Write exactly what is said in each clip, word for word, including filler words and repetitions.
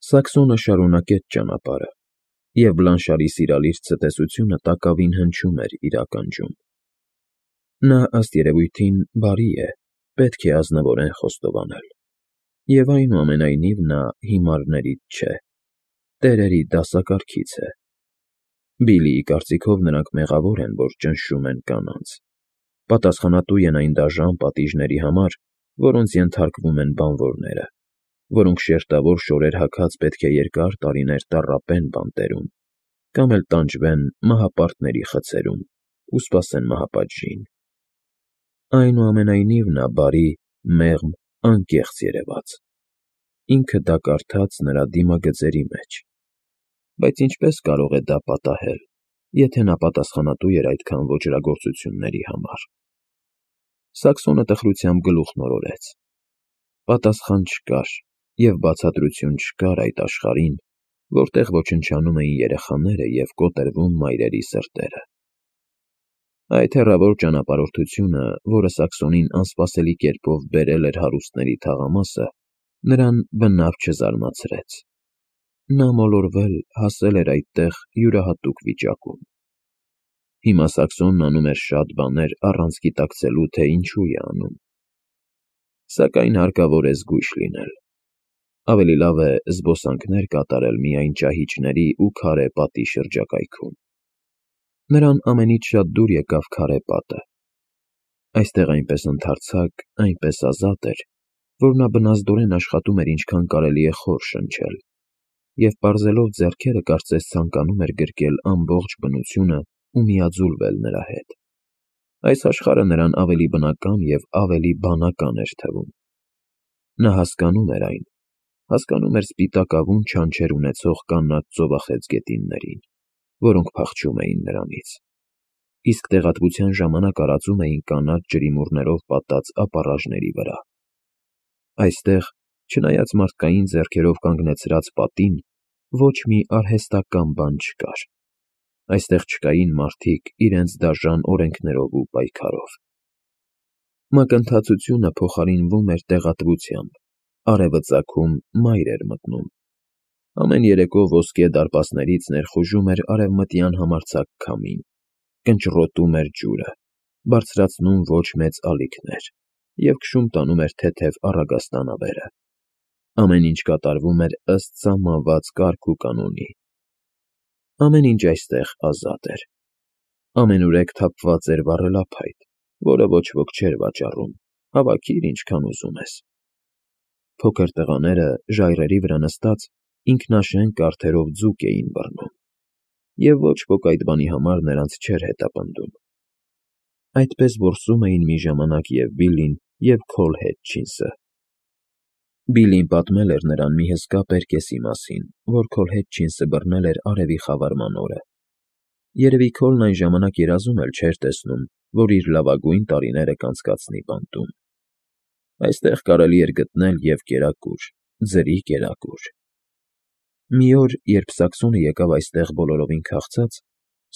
Սաքսոնը շարունակեց ճանապարհը, և Բլանշարի սիրալիր ցտեսությունը տակավին հնչում էր իր ականջում. նա, ըստ երևույթին, բարի է, պետք է ազնվորեն խոստովանել, և այնուամենայնիվ նա հիմարներից չէ, տերերի դասակարգից է. Բիլլիի կարծիքով նրանք մեղավոր են, որ ճնշում են կանանց, պատասխանատու են այն դաժան պատիժների համար, որոնց ենթարկվում են բանվորները, որոնք շերտավոր շորեր հագած պետք է երկար տարիներ տառապեն բանտերում կամ էլ տանջվեն մահապարտների խցերում ու սպասեն մահապատժին։ Այնուամենայնիվ նա բարի, մեղմ, անկեղծ երևաց, ինքը դա կարդաց նրա դիմագծերի մեջ, բայց ինչպե՞ս կարող է դա պատահել, եթե նա պատասխանատու էր այդքան ոճրագործությունների համար։ Սաքսոնը տխրությամբ գլուխն օրորեց. պատասխան չկար և բացատրություն չկար այդ աշխարհին, որտեղ ոչնչանում էին երեխաները և կոտրվում մայրերի սրտերը։ Այդ հեռավոր ճանապարհորդությունը, որը Սաքսոնին անսպասելի կերպով բերել էր հարուստների թաղամասը, նրան բնավ չզարմացրեց. նա մոլորվել, հասել էր այդտեղ յուրահատուկ վիճակում։ Հիմա Սաքսոնն անում էր շատ բաներ առանց գիտակցելու, թե ինչու է անում։ Սակայն հարկավոր է զգույշ լինել։ Ավելի լավ է զբոսանքներ կատարել միայն ճահիճների ու քարե պատի շրջակայքում։ Նրան ամենից շատ դուր եկավ քարե պատը։ Այստեղ այնպես ընդարձակ, այնպես ազատ էր, որ նա բնազդորեն աշխատում էր ինչքան կարելի է խոր շնչել, և պարզելով ձեռքերը կարծես ցանկանում էր գրկել ամբողջ բնությունը ու միաձուլվել նրա հետ։ Այս աշխարհը նրան ավելի բնական և ավելի բանական էր թվում։ Նա հասկանում էր այն, հասկանում էր սպիտակավուն չանչեր ունեցող կանաչ ծովախեցգետիններին, որոնք փախչում էին նրանից, իսկ տեղատվության ժամանակ արածում էին կանաչ ջրիմուռներով պատած ապառաժների վրա։ Այստեղ, չնայած մարդկային ձեռքերով կանգնեցրած պատին, ոչ մի արհեստական բան չկար։ Այստեղ չկային մարդիկ իրենց դաժան օրենքներով ու պայքարով։ Մակընթացությունը փոխարինվում էր տեղատվությամբ, արևը ծագում, մայր էր մտնում։ Ամեն երեկո ոսկե դարպասներից ներխուժում էր արևմտյան համարձակ քամին, կնճռոտում էր ջուրը, բարձրացնում ոչ մեծ ալիքներ և քշում տանում էր թեթև առագաստանավերը։ Ամեն ինչ կատարվում էր ըստ սահմանված կարգ ու կանոնի։ Ամեն ինչ այստեղ ազատ էր։ Ամենուրեք թափված էր վառելափայտ, որը ոչ ոք չէր վաճառում, հավաքիր ինչքան ուզում ես։ Փոքր տղաները, ժայռերի վրա նստած, ինքնաշեն կարդերով ձուկ էին բռնում, և ոչ ոք այդ բանի համար նրանց չէր հետապնդում։ Այդպես որսում էին մի ժամանակ և Բիլլին, և Քոլ Հետչինսը։ Բիլլին պատմել էր նրան մի հսկա պերկեսի մասին, որ Քոլ Հետչինսը բռնել էր արևի խավարման օրը։ Երևի Քոլն այն ժամանակ երազում էլ չէր տեսնում, որ իր լավագույն տարիները կանցկացնի բանտում։ Այստեղ կարելի էր գտնել և կերակուր, ձրի կերակուր։ Մի օր, երբ Սաքսոնը եկավ այստեղ բոլորովին քաղցած,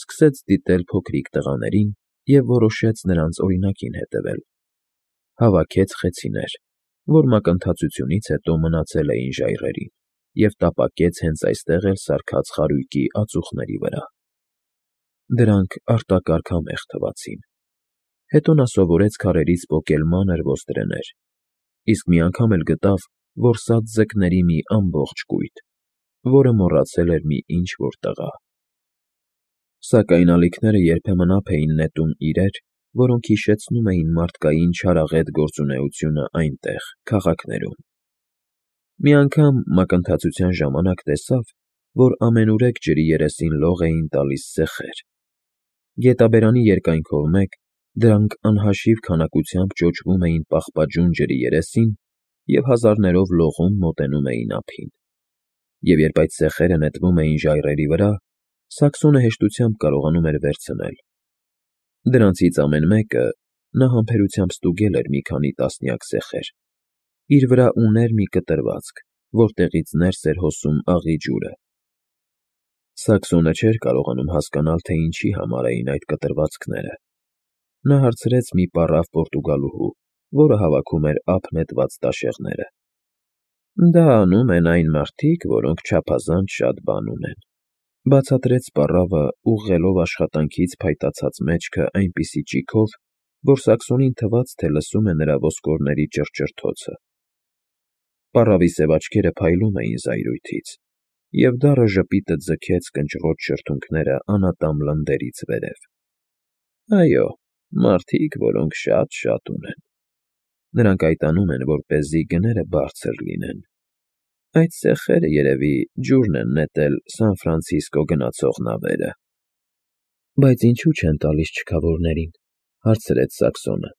սկսեց դիտել փոքրիկ տղաներին և որոշեց նրանց օրինակին հետևել։ Հավաքեց խեցիներ, որ մակընթացությունից հետո մնացել էին ժայռերին, և տապակեց հենց այստեղ էլ սարքած խարույկի ածուխների վրա։ Դրանք արտակարգ համեղ թվացին։ Հետո նա սովորեց քարերից պոկել մանր ոստրեներ, իսկ մի անգամ էլ գտավ որսած ձկների մի ամբողջ կույտ, որը մոռացել էր մի ինչ֊որ տղա։ Սակայն ալիքները երբեմն ափ էին նետում իրեր, որոնք հիշեցնում էին մարդկային չարաղետ գործունեությունը այնտեղ, քաղաքներում։ Մի անգամ մակընթացության ժամանակ տեսավ, որ ամենուրեք ջրի երեսին լող էին տալիս սեխեր։ Գետաբերանի երկայնքով մեկ դրանք անհաշիվ քանակությամբ ճոճվում էին պաղպաջուն ջրի երեսին և հազարներով լողում մոտենում էին ափին։ Եվ երբ այդ սեխերը նետվում էին ժայռերի վրա, Սաքսոնը հեշտությամբ կարողանում էր վերցնել։ Դրանցից ամեն մեկը նա համբերությամբ ստուգել էր մի քանի տասնյակ սեխեր։ Իր վրա ուներ մի կտրվածք, որտեղից ներս էր հոսում աղի ջուրը։ Սաքսոնը չէր կարողանում հասկանալ, թե ինչի համար էին այդ կտրվածքները։ Նա հարցրեց մի պառավ պորտուգալուհու, որը հավաքում էր ափ նետված տաշեղները։ Դա անում են այն մարդիկ, որոնք չափազանց շատ բան ունեն, բացատրեց պառավը, ուղղելով աշխատանքից փայտացած մեջքը այնպիսի ճիգով, որ Սակսոնին թվաց, թե լսում է նրա ոսկորների ճռճռթոցը։ Պառավի սև աչքերը փայլում էին զայրույթից, և դառը ժպիտը ձգեց կնճռոտ շրթունքները անատամ լնդերից վերև։ Այո, մարդիկ, որոնք շատ֊շատ ունեն։ Նրանք այդ անում են, որպեսզի գները բարձր լինեն։ Այդ սեխերը, երևի, ջուրն են նետել Սան Ֆրանցիսկո գնացող նավերը։ Բայց ինչու չեն տալիս չքավորներին, հարցրեց Սակսոնը։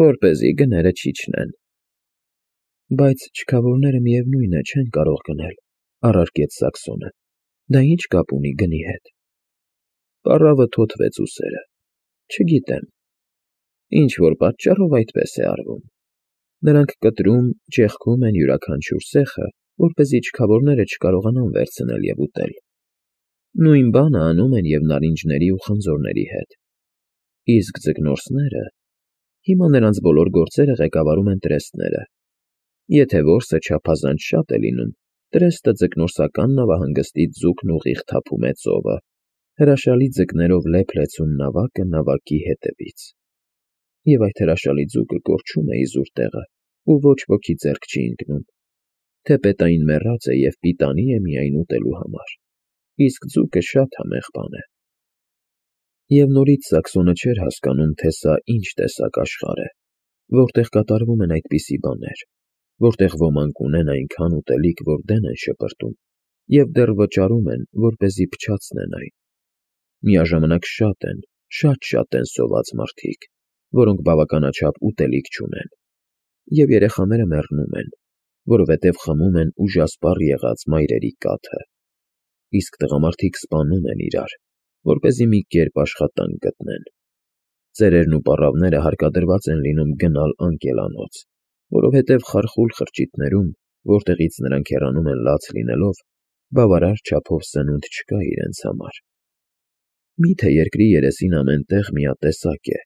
Որպեսզի գները չիջնեն։ Բայց չքավորները միևնույն է չեն կարող գնել, առարկեց Սակսոնը։ Դա ինչ կապ ունի գնի հետ։ Պառավը թոթվեց ուսերը։ Չգիտեմ։ Ինչ որ պատճառով այդպես է արվում։ Նրանք կտրում, ճեղքում են յուրաքանչյուր սեխը, որպեսզի չքավորները չկարողանան վերցնել և ուտել։ Նույն բանը անում են և նարինջների ու խնձորների հետ։ Իսկ ձկնորսները… Հիմա նրանց բոլոր գործերը ղեկավարում են տրեստները։ Եթե որսը չափազանց շատ է լինում, տրեստը ձկնորսական նավահանգստից ձուկն ուղիղ թափում է ծովը, հրաշալի ձկներով լեփ-լեցուն նավակը նավակի հետևից։ Եվ այդ հրաշալի ձուկը կորչում է իզուր տեղը, ու ոչ ոքի ձեռք չի ընկնում։ Թեպետային մեռած է և պիտանի է միայն ուտելու համար։ Իսկ ձուկը շատ համեղ բան է։ Եվ նորից Սակսոնը չէր հասկանում, թե սա ինչ տեսակ աշխարհ է, որտեղ կատարվում են այդպիսի բաներ, որտեղ ոմանք ունեն այնքան ուտելիք, որ դեն են շպրտում, և դեռ վճարում են, որպեսզի փչացնեն այն։ Միաժամանակ շատ են, շատ֊շատ են սոված մարդիկ, որոնք բավականաչափ ուտելիք չունեն, և երեխաները մեռնում են, որովհետև խմում են ուժասպառ եղած մայրերի կաթը, իսկ տղամարդիկ սպանում են իրար, որպեսզի մի կերպ աշխատանք գտնեն։ Ծերերն ու պառավները հարկադրված են լինում գնալ անկելանոց, որովհետև խարխուլ խրճիթներում, որտեղից նրանք հեռանում են լաց լինելով, բավարար չափով սնունդ չկա իրենց համար։ Մի՞թե երկրի երեսին ամեն տեղ միատեսակ է,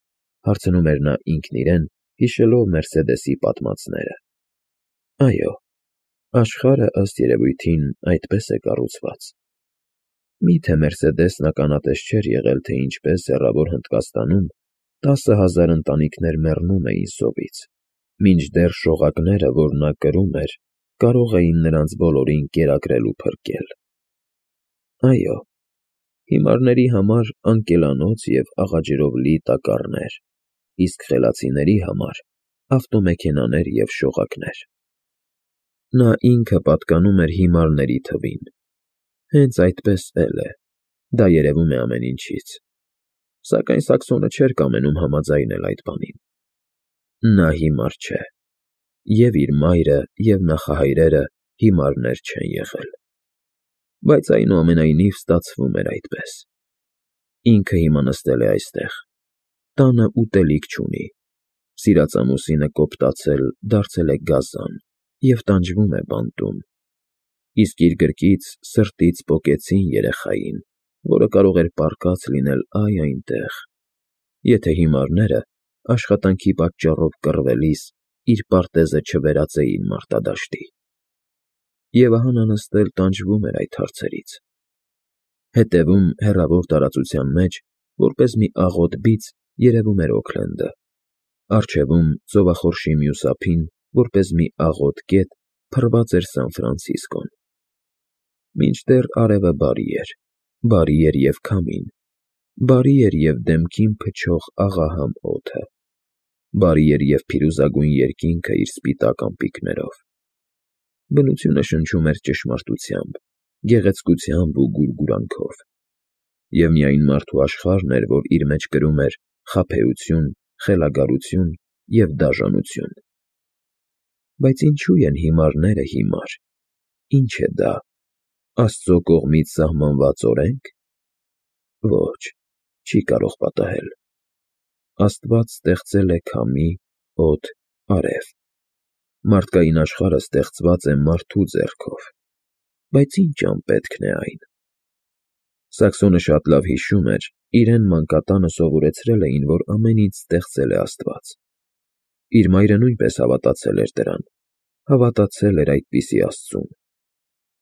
հարցնում էր նա ինքն իրեն, հիշելով Մերսեդեսի պատմածները։ Այո, աշխարհը, ըստ երևույթին, այդպես է կառուցված։ Մի՞թե Մերսեդեսն ականատես չէր եղել, թե ինչպես Հեռավոր Հնդկաստանում տասը հազար ընտանիքներ մեռնում էին սովից, մինչդեռ շողակները, որ նա կրում էր, կարող էին նրանց բոլորին կերակրել ու փրկել։ Այո, հիմարների համար անկելանոց և աղաջրով լի տակառներ, իսկ խելացիների համար ավտոմեքենաներ և շողակներ։ Նա ինքը պատկանում էր հիմարների թվին։ Հենց այդպես էլ է, դա երևում է ամեն ինչից։ Սակայն Սակսոնը չէր կամենում համաձայնել այդ բանին։ Նա հիմար չէ, և իր մայրը, և նախահայրերը հիմարներ չեն եղել։ Բայց այնուամենայնիվ ստացվում էր այդպես։ Ինքը հիմա նստել է այստեղ, տանը ուտելիք չունի, սիրած ամուսինը կոպտացել, դարձել է գազան և տանջվում է բանտում, իսկ իր գրկից, սրտից պոկեցին երեխային, որը կարող էր պառկած լինել այ այնտեղ, եթե հիմարները աշխատանքի պատճառով կռվելիս իր պարտեզը չվերածեին մարտադաշտի։ Եվ ահա նա նստել տանջվում էր այդ հարցերից։ Հետևում, հեռավոր տարածության մեջ, որպես մի աղոտ բիծ, երևում էր Օքլենդը, առջևում, ծովախորշի մյուս ափին, որպես մի աղոտ կետ, փռված էր Սան Ֆրանցիսկոն։ Մինչդեռ արևը բարի էր, բարի էր և քամին, բարի էր և դեմքին փչող աղահամ օդը, բարի էր և փիրուզագույն երկինքը իր սպիտակ ամպիկներով։ Բնությունը շնչում էր ճշմարտությամբ, գեղեցկությամբ ու գուրգուրանքով։ Եվ միայն մարդու աշխարհն էր, որ իր մեջ կրում էր խաբեություն, խելագարություն և դաժանություն։ Բայց ինչո՞ւ են հիմարները հիմար։ Ի՞նչ է դա, Աստծո կողմից սահմանված օրե՞նք։ Ոչ, չի կարող պատահել։ Աստված ստեղծել է քամի, օդ, արև։ Մարդկային աշխարհը ստեղծված է մարդու ձեռքով։ Բայց ի՞նչ անպետքն է այն։ Սակսոնը շատ լավ հիշում էր, իրեն մանկատանը սովորեցրել էին, որ ամեն ինչ ստեղծել է Աստված։ Իր մայրը նույնպես հավատացել էր դրան, Հավատացել էր այդպիսի աստծուն։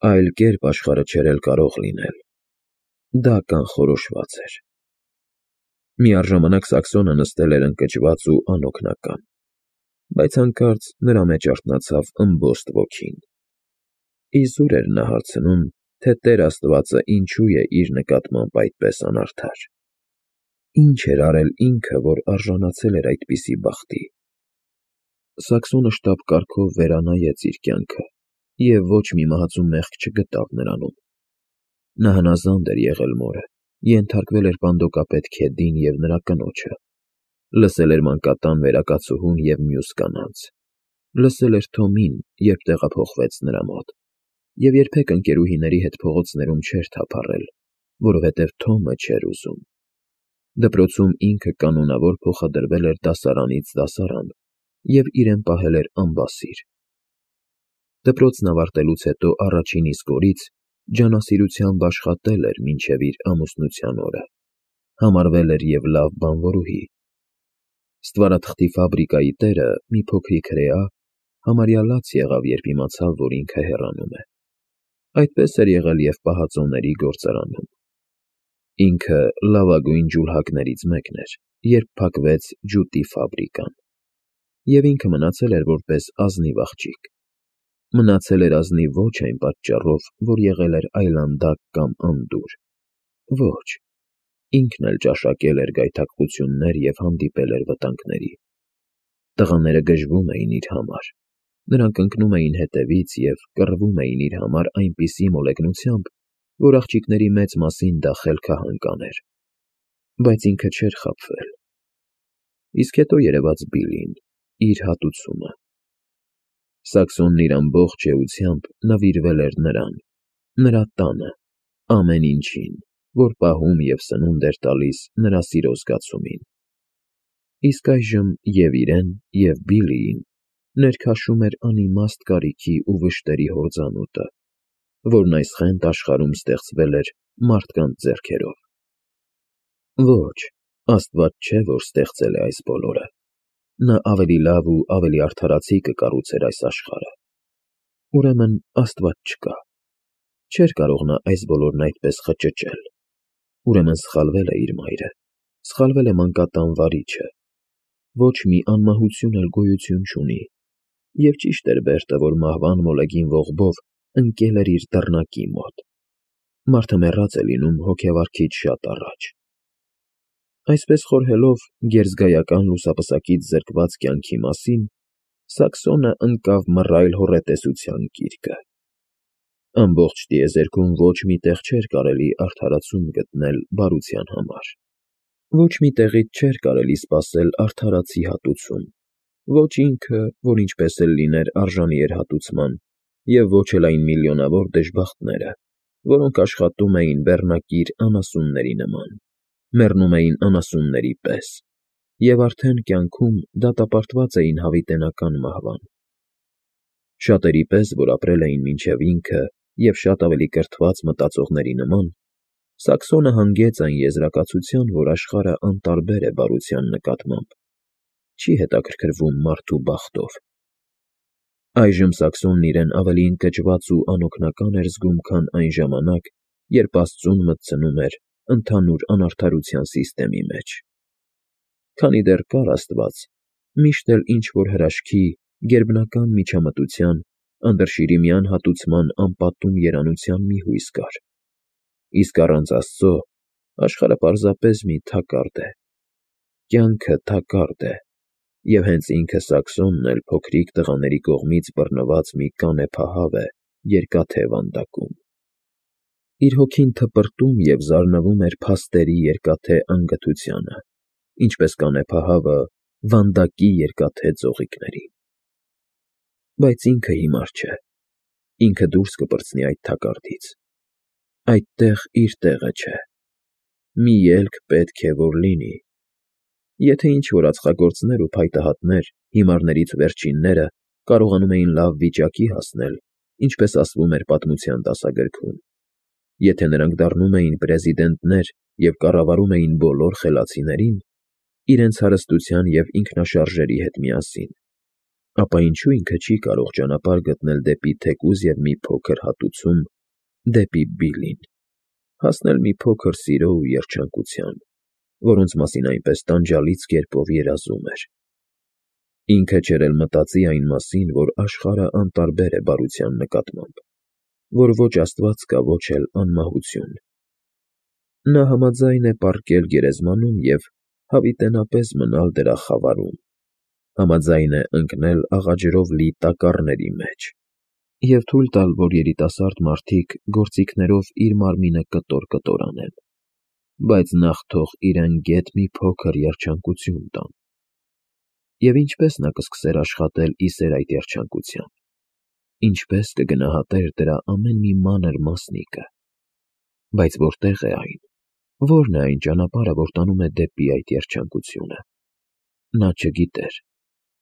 Այլ կերպ աշխարհը չէր էլ կարող լինել։ Դա կանխորոշված էր։ Միառժամանակ Սաքսոնը նստել էր ընկճված ու անօգնական, բայց հանկարծ նրա մեջ արթնացավ ըմբոստ ոգին։ Իզուր էր նա հարցնում, թե Տեր Աստվածը ինչու է իր նկատմամբ այդպես անարդար։ Ինչ էր արել ինքը, որ արժանացել էր այդպիսի բախտի։ Սաքսոնը շտապ կարգով վերանայեց իր կյանքը և ոչ մի մահացու մեղք չգտավ նրանում։ Նա հնազանդ էր եղել մորը, ենթարկվել էր պանդոկապետ Քեդին և նրա կնոջը, լսել էր մանկատան վերակացուհուն և մյուս կանանց, լսել էր Թոմին, երբ տեղափոխվեց նրա մոտ, և երբեք ընկերուհիների հետ փողոցներում չէր թափառել, որովհետև Թոմը չէր ուզում։ Դպրոցում ինքը կանոնավոր փոխադրվել էր դասարանից դասարան և իրեն պահել էր անբասիր։ Դպրոցն ավարտելուց հետո առաջին իսկ օրից ջանասիրությամբ աշխատել էր մինչև իր ամուսնության օրը, համարվել էր և լավ բանվորուհի։ Ստվարաթղթի ֆաբրիկայի տերը, մի փոքրիկ հրեա, համարյա լաց եղավ, երբ իմացավ, որ ինքը հեռանում է։ Այդպես էր եղել և պահածոների գործարանում։ Ինքը լավագույն ջուլհակներից մեկն էր, երբ փակվեց ջուտի ֆաբրիկան։ Եվ ինքը մնացել էր որպես ազնիվ աղջիկ։ Մնացել էր ազնիվ ոչ այն պատճառով, որ եղել էր այլանդակ կամ անդուր։ Ոչ, ինքն էլ ճաշակել էր գայթակղություններ և հանդիպել էր վտանգների։ Տղաները գժվում էին իր համար։ Նրանք ընկնում էին հետևից և կռվում էին իր համար այնպիսի մոլեգնությամբ, որ աղջիկների մեծ մասին դա խելքահան էր։ Բայց ինքը չէր խաբվել։ Իսկ հետո երևաց Բիլլին, իր հատուցումը։ Սաքսոնն իր ամբողջ էությամբ նվիրվել էր նրան, նրա տանը, ամեն ինչին, որ պահում և սնունդ էր տալիս նրա սիրո զգացումին։ Իսկ այժմ և իրեն, և Բիլլիին ներքաշում էր անիմաստ կարիքի ու վշտերի հորձանուտը, որն այս խենթ աշխարհում ստեղծվել էր մարդկանց ձեռքերով։ Ոչ, Աստված չէ, որ ստեղծել է այս բոլորը։ Նա ավելի լավ ու ավելի արդարացի կկառուցեր այս աշխարհը։ Ուրեմն Աստված չկա։ Չէր կարող նա այս բոլորն այդպես խճճել։ Ուրեմն սխալվել է իր մայրը, սխալվել է մանկատան վարիչը։ Ոչ մի անմահություն էլ գոյություն չունի։ Եվ ճիշտ էր Բերտը, որ մահվան մոլեգին ողբով ընկել էր իր դռնակի մոտ։ Մարդը մեռած է լինում հոգեվարքից շատ առաջ։ Այսպես խորհելով գերզգայական լուսապսակից զրկված կյանքի մասին, Սաքսոնը ընկավ մռայլ հոռետեսության գիրկը։ Ամբողջ տիեզերքում ոչ մի տեղ չէր կարելի արդարացում գտնել բարության համար։ Ոչ մի տեղից չէր կարելի սպասել արդարացի հատուցում։ Ոչ ինքը, որ ինչպես էլ լիներ արժանի էր հատուցման, և ոչ էլ այն միլիոնավոր դժբախտները, որոնք աշխատում էին բեռնակիր անասունների նման, մեռնում էին անասունների պես և արդեն կյանքում դատապարտված էին հավիտենական մահվան։ Շատերի պես, որ ապրել էին մինչև ինքը և շատ ավելի կրթված մտածողների նման, Սաքսոնը հանգեց այն եզրակացության, որ աշխարհը անտարբեր է բարության նկատմամբ, չի հետաքրքրվում մարդու բախտով։ Այժմ Սաքսոնն իրեն ավելի ընկճված ու անօգնական էր զգում, քան այն ժամանակ, երբ Աստծուն մտցնում էր ընդհանուր անարդարության սիստեմի մեջ։ Քանի դեռ կար Աստված, միշտ էլ ինչ-որ հրաշքի, գերբնական միջամտության, անդրշիրիմյան հատուցման անպատում երանության մի հույս կար։ Իսկ առանց Աստծո աշխարհը պարզապես մի թակարդ է։ Կյանքը թակարդ է, և հենց ինքը Սաքսոնն էլ փոքրիկ տղաների կողմից բռնված մի կանեփահավ է երկաթե վանդակում։ Իր հոգին թպրտում և զարնվում էր փաստերի երկաթե անգթությանը, ինչպես կանեփահավը վանդակի երկաթե ծաղիկներին։ Բայց ինքը հիմար չէ։ Ինքը դուրս կպրծնի այդ թակարդից։ Այդտեղ իր տեղը չէ։ Մի ելք պետք է որ լինի։ Եթե ինչ-որ ածխագործներ ու փայտահատներ, հիմարներից վերջինները, կարողանում էին լավ վիճակի հասնել, ինչպես ասվում էր պատմության դասագրքում, եթե նրանք դառնում էին պրեզիդենտներ և կառավարում էին բոլոր խելացիներին, իրենց հարստության և ինքնաշարժերի հետ միասին, ապա ինչու ինքը չի կարող ճանապարհ գտնել դեպի թեկուզ և մի փոքր հատուցում, դեպի Բիլլին, հասնել մի փոքր սիրո ու երջանկության, որոնց մասին այնպես տանջալից կերպով երազում էր։ Ինքը չէր էլ մտածի այն մասին, որ աշխարհն անտարբեր է բարության նկատմամբ, որ ոչ աստված կա, ոչ էլ անմահություն։ Նա համաձայն է պառկել գերեզմանում և հավիտենապես մնալ դրա խավարում, համաձայն է ընկնել աղաջրով լի տակառների մեջ և թույլ տալ, որ երիտասարդ մարդիկ գործիքներով իր մարմինը կտոր֊կտոր անեն, բայց նախ թող իրեն գեթ մի փոքր երջանկություն տան։ Եվ ինչպե՞ս նա կսկսեր աշխատել ի սեր այդ երջանկության, ինչպե՞ս կգնահատեր դրա ամեն մի մանր մասնիկը։ Բայց որտե՞ղ է այն, ո՞րն է այն ճանապարհը, որ տանում է դեպի այդ երջանկությունը։ Նա չգիտեր,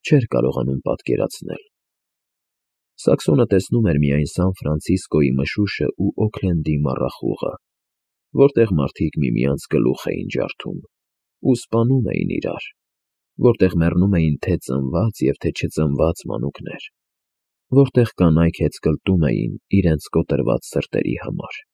չէր կարողանում պատկերացնել։ Սաքսոնը տեսնում էր միայն Սան Ֆրանցիսկոյի մշուշն ու Օքլենդի մառախուղը, որտեղ մարդիկ միմյանց գլուխ էին ջարդում ու սպանում էին իրար, որտեղ մեռնում էին թե ծնված և թե չծնված մանուկներ, որտեղ կանայք հեծկլտում էին իրենց կոտրված սրտերի համար։